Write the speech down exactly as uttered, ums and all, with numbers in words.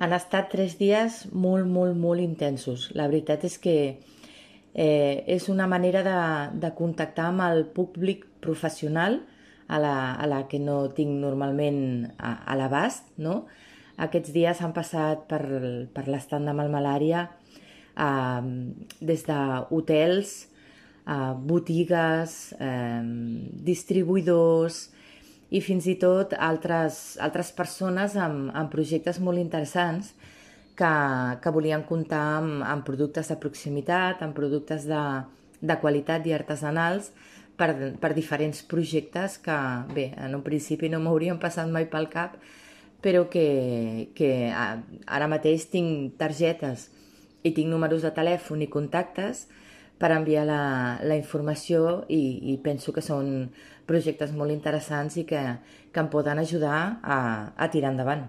Han estat tres dies molt, molt, molt intensos. La veritat és que eh, és una manera de, de contactar amb el públic professional a la, a la que no tinc normalment a, a l'abast, no? Aquests dies han passat per, per l'estand de Malmalaria eh, des d'hotels, eh, botigues, eh, distribuïdors, i fins i tot altres, altres persones amb, amb projectes molt interessants que, que volien comptar amb, amb productes de proximitat, amb productes de, de qualitat i artesanals per, per diferents projectes que, bé, en un principi no m'haurien passat mai pel cap, però que, que ara mateix tinc targetes i tinc números de telèfon i contactes per enviar la, la informació i, i penso que són projectes molt interessants i que, que em poden ajudar a, a tirar endavant.